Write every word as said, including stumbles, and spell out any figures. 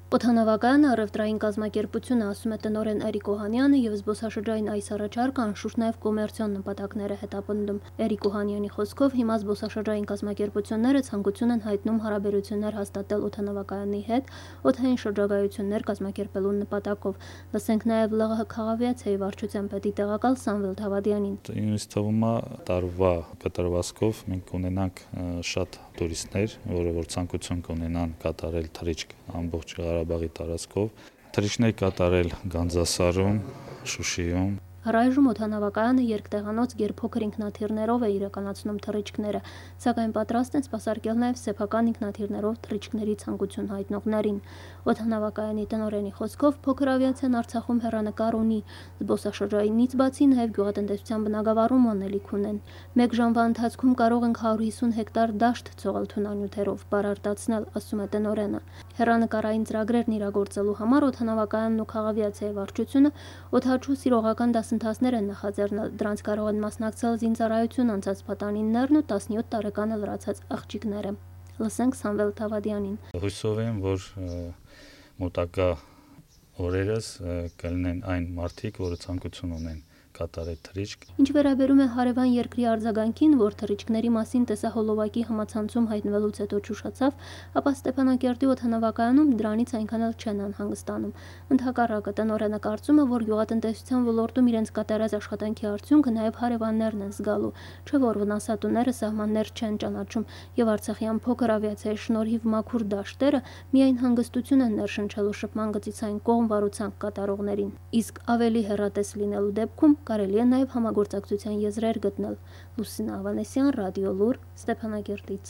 Օդանավակայանը առևտրային կազմակերպությունը, ասում է տնօրեն Էրիկ Օհանյանը, եւ զբոսաշրջային այս առաջարկը անշուշտ նաեւ կոմերցիոն նպատակներ է հետապնդում։ Էրիկ Օհանյանի խոսքով հիմա զբոսաշրջային կազմակերպությունները ցանկություն են հայտնում հարաբերություններ հաստատել օդանավակայանի հետ օդային շրջագայություններ կազմակերպելու նպատակով։ Լսենք նաեւ ԼՂՀ քաղաքավիացիայի վարչության պետի տեղակալ Սամվել Դավադյանին։ Ինձ թվում է տարվա կտրվածքով մենք ունենանք շատ տուրիստներ, որը որ ցանկություն կունենան կատարել թռիչք ամբողջ Ղարաբաղի տարածքով, թռիչքներ կատարել Գանձասարում, Շուշիում։ Առայժմ օդանավակայանը երկտեղանոց գերփոքր ինքնաթիռներով է իրականացնում թռիչքները, սակայն պատրաստ են սպասարկել նաև սեփական ինքնաթիռներով թռիչքների ցանկություն հայտնողներին։ Օդանավակայանի տնօրենի խոսքով փոքր ավիացիան Արցախում հեռանկար ունի, զբոսաշրջայինից բացի նաև գյուղատնտեսության բնագավառում անելիք ունեն։ Մեկ ժամվա ընթացքում կարող ենք հարյուր հիսուն հեկտար դաշտ ցողալ թունանյութերով, բարարտացնել, ասում է տնօրենը։ Հեռանկարային ծրագրերն իրագործելու համար օդանավակայանն ու քաղաքավիացիայի վարչությունը օդաչու սիրողական դասընթացներ են նախաձեռնել, դրանց կարող են մասնակցել զինծառայություն անցած պատանիներն ու տասնյոթ տարեկանը լրացած աղջիկները։ Լսենք Սամվել Դավադյանին։ Հույսով եմ, որ մոտակա օրերս կլինեն այն մարդիկ, որը ցանկություն ունեն կատարել թռիչք։ Ինչ վերաբերում է հարևան երկրի արձագանքին, որ թռիչքների մասին տեսահոլովակի համացանցում հայտնվելուց հետո ճուշացավ, ապա Ստեփանակերտի օդանավակայանում դրանից այնքան էլ չեն անհանգստանում։ Ընդհակառակը, տնօրենը կարծում է, որ գյուղատնտեսության ոլորտում իրենց կատարած աշխատանքի արդյունքը նաև հարևաններն են զգալու, չէ՞ որ վնասատուները սահմաններ չեն ճանաչում, եւ արցախյան փոքր ավիացիայի շնորհիվ մաքուր դաշտերը միայն հանգստություն են ներշնչելու շփման գծից այն կողմ վարուցանք կատարողներին։ Իսկ ավելի հեռատես լինելու դեպքում կարելի է նաև համագործակցության եզրեր գտնել։ Լուսինե Ավանեսյան, Ռադիոլուր, Ստեփանակերտից։